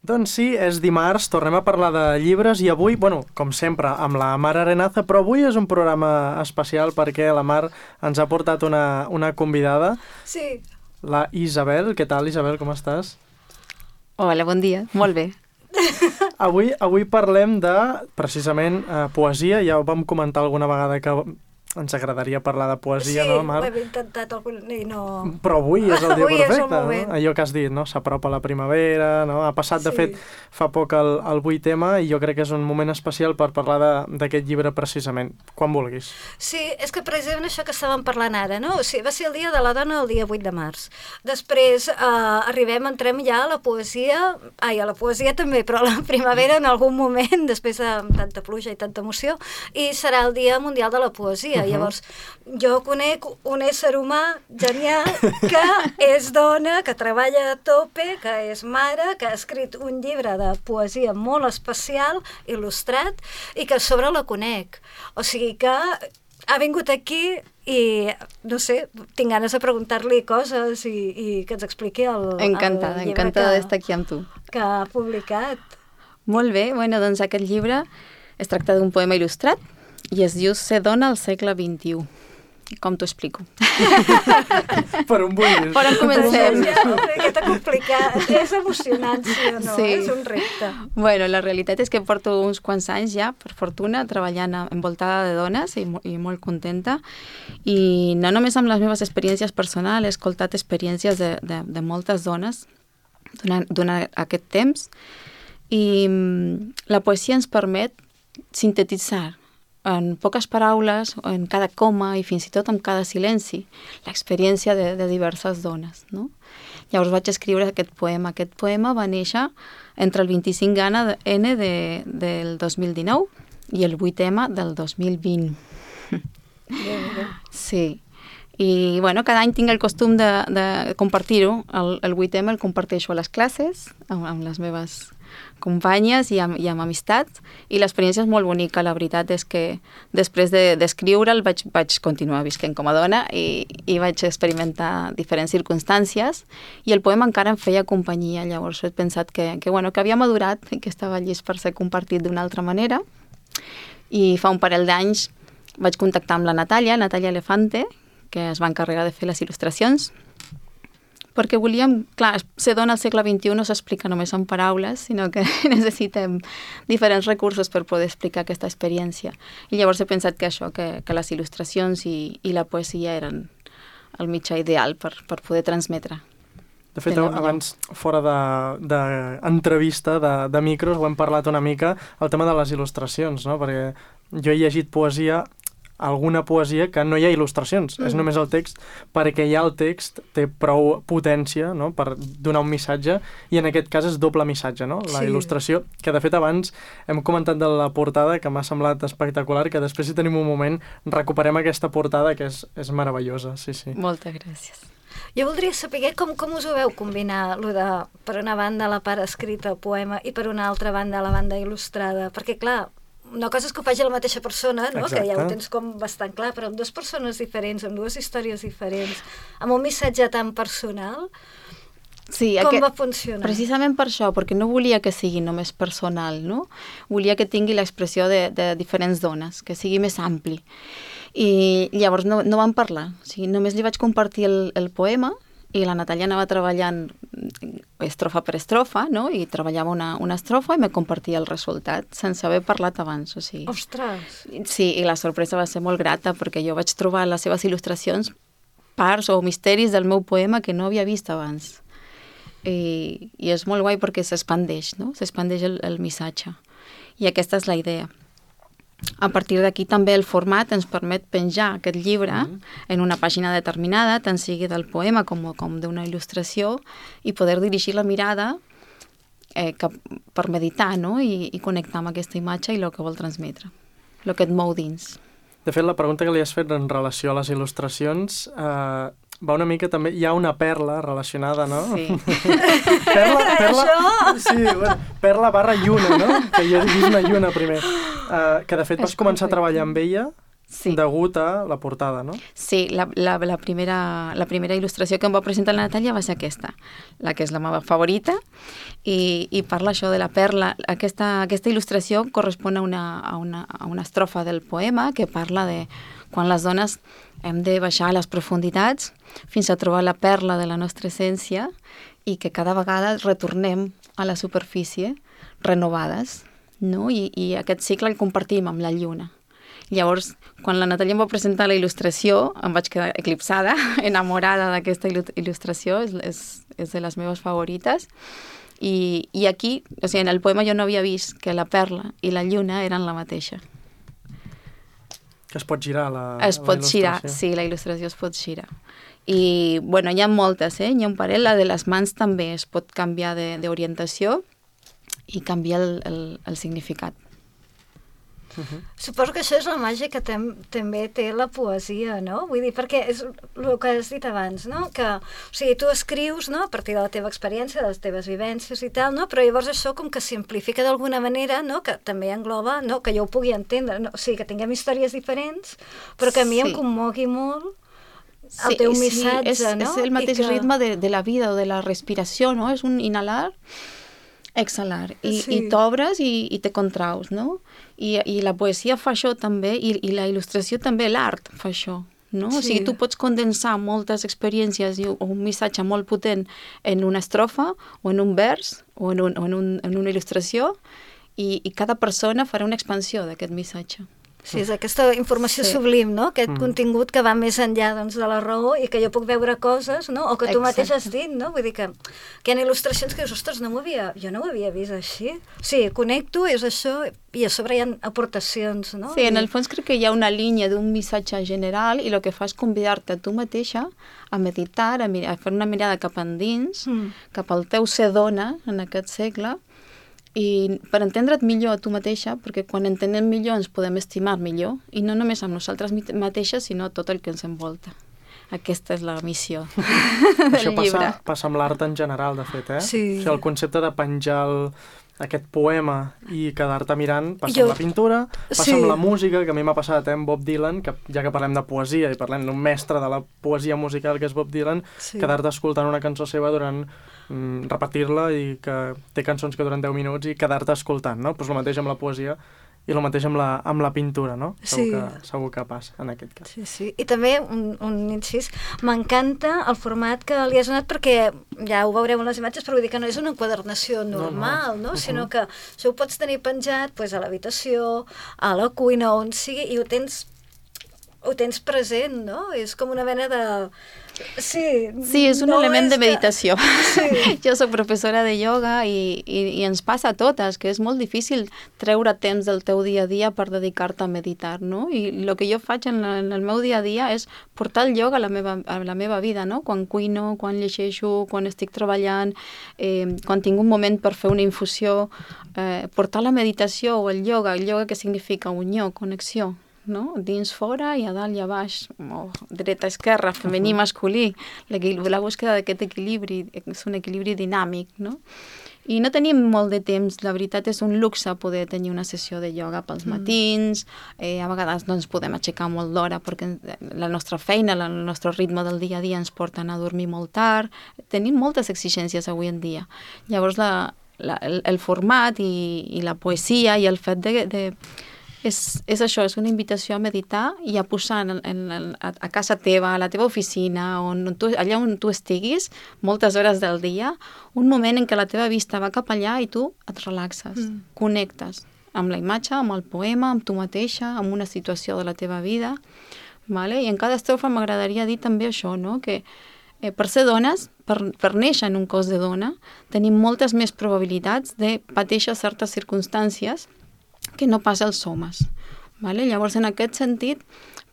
Doncs sí, és dimarts, tornem a parlar de llibres i avui, com sempre, amb la Mar Arenaza, però avui és un programa especial perquè la Mar ens ha portat una convidada. Sí. La Isabel. Què tal, Isabel, com estàs? Hola, bon dia. Molt bé. Avui parlem de, precisament, poesia. Ja ho vam comentar alguna vegada que ens agradaria parlar de poesia, no, Mar? Sí, ho hem intentat i no... Però avui és el dia Avui perfecte, és el moment. no? Allò que has dit, no? S'apropa la primavera, no? Ha passat, de fet, fa poc el 8M i jo crec que és un moment especial per parlar d'aquest llibre precisament. Quan vulguis. Sí, és que precisament això que estàvem parlant ara, no? O sigui, va ser el Dia de la Dona el dia 8 de març. Després entrem ja a la poesia, a la poesia també, però a la primavera en algun moment, després de tanta pluja i tanta emoció, i serà el Dia Mundial de la Poesia. Llavors, jo conec un ésser humà genial que és dona, que treballa a tope, que és mare, que ha escrit un llibre de poesia molt especial, il·lustrat, i que a sobre la conec. O sigui que ha vingut aquí i, no sé, tinc ganes de preguntar-li coses i que ens expliqui el encantada d'estar aquí amb tu. Que ha publicat. Molt bé, doncs aquest llibre es tracta d'un poema il·lustrat i es diu Ser dona al segle XXI. Com t'ho explico? Per on vulguis. Per on comencem? Que t'ha complicat. És emocionant, sí o no? Sí. És un repte. La realitat és que porto uns quants anys ja, per fortuna, treballant envoltada de dones i molt contenta. I no només amb les meves experiències personals, he escoltat experiències de moltes dones durant aquest temps. I la poesia ens permet sintetitzar en poques paraules, en cada coma i fins i tot en cada silenci, l'experiència de diverses dones, no? Llavors vaig escriure aquest poema. Aquest poema va néixer entre el 25N del 2019 i el 8M del 2020. Sí. I, cada any tinc el costum de compartir-ho. El 8M el comparteixo a les classes, amb les meves companyes i amb amistats, i l'experiència és molt bonica. La veritat és que després d'escriure'l vaig continuar visquent com a dona i vaig experimentar diferents circumstàncies i el poema encara em feia companyia. Llavors he pensat que havia madurat i que estava llest per ser compartit d'una altra manera, i fa un parell d'anys vaig contactar amb la Natàlia Elefante, que es va encarregar de fer les il·lustracions, perquè volíem, clar, ser dona al segle XXI no s'explica només en paraules, sinó que necessitem diferents recursos per poder explicar aquesta experiència. I llavors he pensat que les il·lustracions i la poesia eren el mitjà ideal per poder transmetre. De fet, abans, fora d'entrevista, de micros, ho hem parlat una mica, el tema de les il·lustracions, no? Perquè jo he llegit alguna poesia que no hi ha il·lustracions, és només el text, perquè ja el text té prou potència, no?, per donar un missatge, i en aquest cas és doble missatge, no?, la il·lustració, que de fet abans hem comentat de la portada, que m'ha semblat espectacular, que després, si tenim un moment, recuperem aquesta portada, que és meravellosa, sí. Moltes gràcies. Jo voldria saber com us ho veu combinar, per una banda la part escrita, el poema, i per una altra banda la banda il·lustrada, perquè clar, una cosa és que ho faci la mateixa persona, no? Que ja ho tens com bastant clar, però amb dues persones diferents, amb dues històries diferents, amb un missatge tan personal, com va funcionar? Precisament per això, perquè no volia que sigui només personal, no? Volia que tingui l'expressió de diferents dones, que sigui més ampli. I llavors no vam parlar, o sigui, només li vaig compartir el poema, i la Natàlia anava treballant estrofa per estrofa, no? I treballava una estrofa i me compartia el resultat, sense haver parlat abans, o sigui. Ostres! Sí, i la sorpresa va ser molt grata, perquè jo vaig trobar en les seves il·lustracions parts o misteris del meu poema que no havia vist abans. I és molt guai perquè s'expandeix, no? S'expandeix el missatge. I aquesta és la idea. A partir d'aquí també el format ens permet penjar aquest llibre en una pàgina determinada, tant sigui del poema com d'una il·lustració, i poder dirigir la mirada per meditar, no? I connectar amb aquesta imatge i el que vol transmetre, el que et mou dins. De fet, la pregunta que li has fet en relació a les il·lustracions va una mica també... Hi ha una perla relacionada, no? Sí. Perla... Sí, perla / lluna, no? Que jo he vist una lluna primer. Que de fet vas començar a treballar amb ella Sí. degut a la portada, no? Sí, la primera il·lustració que em va presentar la Natàlia va ser aquesta, la que és la meva favorita, i parla això de la perla. Aquesta il·lustració correspon a una estrofa del poema que parla de quan les dones hem de baixar a les profunditats fins a trobar la perla de la nostra essència i que cada vegada retornem a la superfície renovades, no? I aquest cicle el compartim amb la lluna. Llavors, quan la Natàlia em va presentar la il·lustració, em vaig quedar eclipsada, enamorada d'aquesta il·lustració, és de les meves favorites. I aquí, o sigui, en el poema jo no havia vist que la perla i la lluna eren la mateixa. Que es pot girar la Es pot girar, sí, la il·lustració es pot girar. I, bueno, hi ha moltes, Hi ha un parell, la de les mans també es pot canviar d'orientació i canviar el significat. Suposo que això és la màgia que també té la poesia, no? Vull dir, perquè és el que has dit abans, no? Que, o sigui, tu escrius, no?, a partir de la teva experiència, de les teves vivències i tal, no? Però llavors això com que simplifica d'alguna manera, no?, que també engloba, no?, que jo ho pugui entendre, no? O sigui, que tinguem històries diferents, però que a mi em commogui molt el teu missatge, no? És el mateix ritme de la vida o de la respiració, no? És un inhalar, exhalar, i t'obres i te contraus, no? I la poesia fa això també, i la il·lustració també, l'art fa això, no? O sigui, tu pots condensar moltes experiències o un missatge molt potent en una estrofa, o en un vers, o en una il·lustració, i cada persona farà una expansió d'aquest missatge. Sí, és aquesta informació sublim, no? Aquest contingut que va més enllà, doncs, de la raó i que jo puc veure coses, no? O que tu mateix has dit, no? Vull dir que hi ha il·lustracions que dius, ostres, jo no ho havia vist així. Sí, connecto, és això, i a sobre hi ha aportacions, no? Sí, en el fons crec que hi ha una línia d'un missatge general i el que fa és convidar-te a tu mateixa a meditar, a fer una mirada cap endins, cap al teu ser dona en aquest segle, i per entendre't millor a tu mateixa, perquè quan entenem millor ens podem estimar millor, i no només amb nosaltres mateixes, sinó tot el que ens envolta. Aquesta és la missió del llibre. Això passa amb l'art en general, de fet, Sí. O sigui, el concepte de penjar aquest poema i quedar-te mirant passa amb la pintura, passa amb la música, que a mi m'ha passat amb Bob Dylan, que ja que parlem de poesia i parlem d'un mestre de la poesia musical que és Bob Dylan, quedar-te escoltant una cançó seva durant repetir-la, i que té cançons que duren 10 minuts i quedar-te escoltant, no? Pues el mateix amb la poesia i el mateix amb la pintura, no? Segur que passa en aquest cas. Sí. I també, un incís, m'encanta el format que li has donat, perquè ja ho veureu en les imatges, però vull dir que no és una enquadernació normal, no? Sinó que això ho pots tenir penjat pues, a l'habitació, a la cuina, on sigui, i ho tens present, no? És com una mena de... Sí, és un element de meditació. Sí. Jo soc professora de ioga i ens passa a totes, que és molt difícil treure temps del teu dia a dia per dedicar-te a meditar, no? I el que jo faig en el meu dia a dia és portar el ioga a la meva vida, no? Quan cuino, quan llegeixo, quan estic treballant, quan tinc un moment per fer una infusió, portar la meditació o el yoga que significa unió, connexió, no? Dins, fora, i a dalt i a baix, dreta, esquerra, femení, masculí, la búsqueda d'aquest equilibri, és un equilibri dinàmic, no? I no tenim molt de temps, la veritat és un luxe poder tenir una sessió de ioga pels matins, a vegades no ens podem aixecar molt d'hora perquè la nostra feina, el nostre ritme del dia a dia ens porta a anar a dormir molt tard, tenim moltes exigències avui en dia. Llavors el format i la poesia i el fet de és això, és una invitació a meditar i a posar a casa teva, a la teva oficina, allà on tu estiguis, moltes hores del dia, un moment en què la teva vista va cap allà i tu et relaxes, connectes amb la imatge, amb el poema, amb tu mateixa, amb una situació de la teva vida, vale? I en cada estrofa m'agradaria dir també això, no? Que per ser dones, per néixer en un cos de dona, tenim moltes més probabilitats de pateixer certes circumstàncies que no pas els homes. Vale? Llavors, en aquest sentit,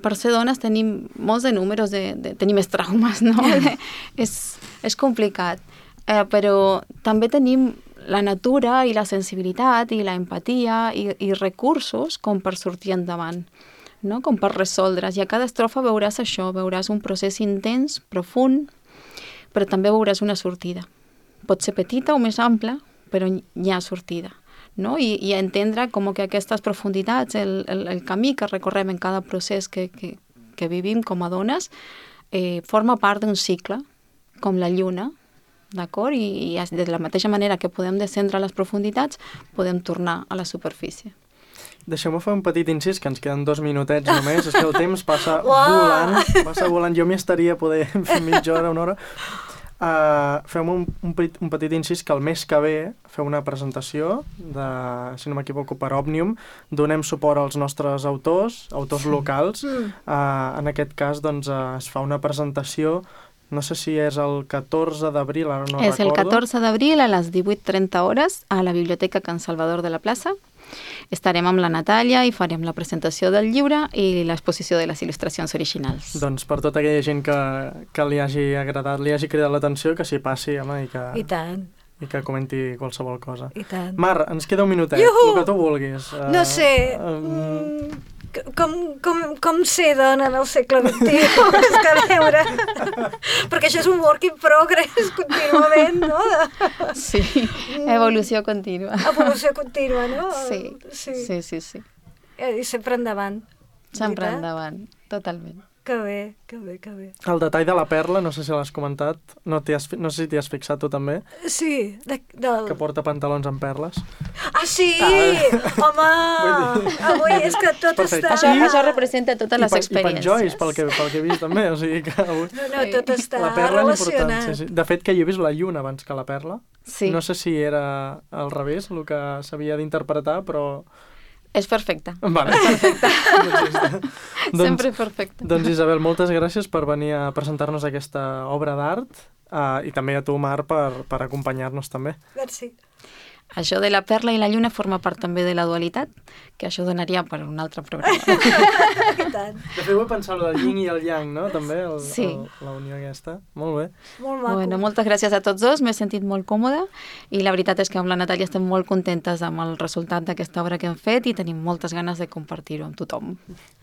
per ser dones tenim molts de números, tenim més traumes, no? És complicat. Però també tenim la natura i la sensibilitat i la empatia i recursos com per sortir endavant, no? Com per resoldre's. I a cada estrofa veuràs això, veuràs un procés intens, profund, però també veuràs una sortida. Pot ser petita o més ampla, però hi ha sortida. no? I entendre com que aquestes profunditats, el camí que recorrem en cada procés que vivim com a dones, forma part d'un cicle, com la lluna, d'acord? I de la mateixa manera que podem descendre a les profunditats, podem tornar a la superfície. Deixeu-me fer un petit incís, que ens queden 2 minutets només. És que el temps passa volant. Jo m'hi estaria poder fer mitja hora, una hora. Fem un petit incís que el mes que ve feu una presentació de, si no m'equivoco, per Òmnium. Donem suport als nostres autors locals. En aquest cas, doncs, es fa una presentació, no sé si és el 14 d'abril, ara no recordo. És el 14 d'abril a les 18:30 hores a la Biblioteca Can Salvador de la Plaça. Estarem amb la Natàlia i farem la presentació del llibre i l'exposició de les il·lustracions originals. Doncs per tota aquella gent que li hagi agradat, li hagi cridat l'atenció, que s'hi passi, home, I tant. I que comenti qualsevol cosa. I tant. Mar, ens queda un minutet, el que tu vulguis. No sé, com ser dona en el segle XXI? És que a veure, perquè això és un work in progress contínuament, no? Sí, evolució contínua. Evolució contínua, no? Sí. I sempre endavant. Sempre endavant, totalment. Que bé, que bé, que bé. El detall de la perla, no sé si l'has comentat, no sé si t'hi has fixat tu també. Sí, que porta pantalons amb perles. Ah, sí! Home! Avui és que tot està... Això representa totes les experiències. I penjois, pel que he vist també, o sigui que... No, tot està la perla relacionat. És important, sí. De fet, que jo he vist la lluna abans que la perla. Sí. No sé si era al revés el que s'havia d'interpretar, però... És perfecte. Vale. Perfecte. Sempre perfecte. Doncs Isabel, moltes gràcies per venir a presentar-nos aquesta obra d'art i també a tu, Mar, per acompanyar-nos també. Merci. Això de la perla i la lluna forma part també de la dualitat, que això donaria per un altre programa. I tant. De fet, vull pensar el yin i el yang, no? També, sí. La unió aquesta. Molt bé. Molt maco. Bueno, moltes gràcies a tots dos, m'he sentit molt còmoda i la veritat és que amb la Natàlia estem molt contentes amb el resultat d'aquesta obra que hem fet i tenim moltes ganes de compartir-ho amb tothom.